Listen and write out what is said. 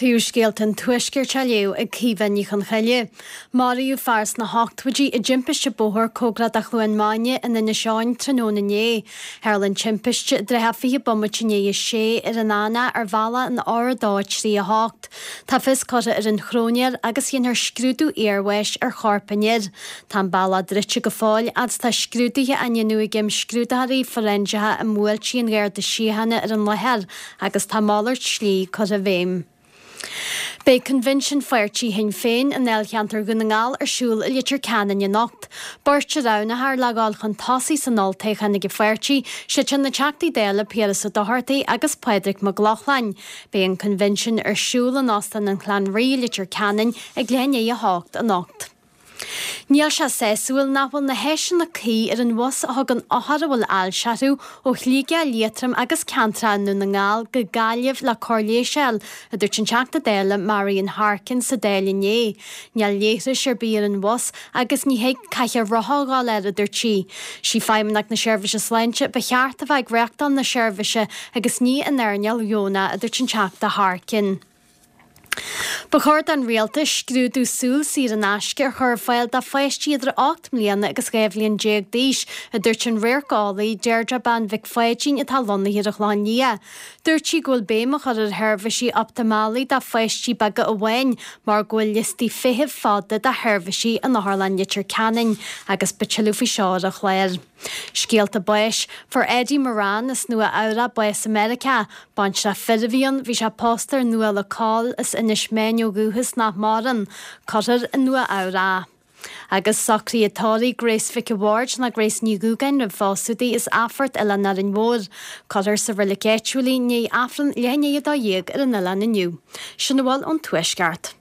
Príomhscéalta an Tuaiscirt á léamh ag Caoimhe Ní Chonchoille. Maraíodh fear sna hochtóidí i dtimpiste bóthair cóngarach do Chluain Maine in Inis Eoghain tráthnóna inné. Tharla an timpiste i dtrátha 20 bomaite i ndiaidh a sé ar an Eanach ar bhealach an R2 3 8. Tá fios curtha ar an chróinéir agus dhéanfar scrúdú iarbháis ar chorp an fhir. Tá an bealach druidte go fóill fhad is tá scrúduithe á ndéanamh ag imscrúdaitheoirí fóiréinseacha i mbuailtí an Gharda Síochána ar an láthair. agus tá malairt slí curtha i bhfeidhm. Beidh Coinbhinsean Pháirtí Shinn Féin i ndáilcheantar Dhún na nGall ar siúl i Leitir Ceanainn anocht. Beirt a roghnófar le dhul chun tosaigh san olltoghchán ag an pháirtí, siad sin na Teachtaí Dála Piaras Ó Dochartaigh agus Pádraig Mac Lochlainn. Beidh an Coinbhinsean ar siúl in Óstán an Chlann Rí i Leitir Ceanainn ag leath i ndiaidh 8 anocht. Níl sé sásúil nach bhfuil na háiseanna cuí ar an bhus a thugann othair a bhfuil ailse orthu ó Shligeach, Liatroim agus ceantracha i nDún na nGall go Gaillimh le cóir leighis a fháil, a dúirt an Teachta Dála Marian Harkin sa Dáil inné. Níl leithris ar bith ar an bhus agus ní thig cathaoir rotha a dhul air, a dúirt sí. Sí Feidhmeannacht na Seirbhíse Sláinte ba cheart a bheith ag reachtáil na seirbhíse agus ní an earnáil dheonach, a dúirt an Teachta Harkin. Ba chóir don Rialtas scrúdú súl saor in aisce a chur ar fáil do pháistí idir 8 mbliana agus 12 bhliain d'aois, a dúirt an radharceolaí Deirdre Bean Mhic Pháidín atá lonnaithe ar an Chlochán Liath. Dúirt sí go bhfuil béim á chur ar sheirbhísí optamalaí do pháistí beaga amháin mar go bhfuil liostaí feithimh fada do sheirbhísí in Otharlann Leitir Ceanainn agus beidh tuilleadh faoi seo ar an chlár. Scéalta báis. Fuair Eddie Moran as Nua Eabhrac bás i Meiriceá. Baintreach fir a bhí ann, bhí sé pósta ar Nuala Coll as Inis Meáin ó dhúchas nach maireann. Cuirfear i Nua Eabhrac é. Agus socruithe tórraimh Grace Mhic a' Bhaird ná Grace Ní Dhúgáin roimh phósadh di as Athphort Oileán Árainn Mhór. Cuirfear sa reilig áitiúil í i ndiaidh Aifreann leath i ndiaidh 12 ar an oileán inniu. Sin a bhfuil ón Tuaisceart.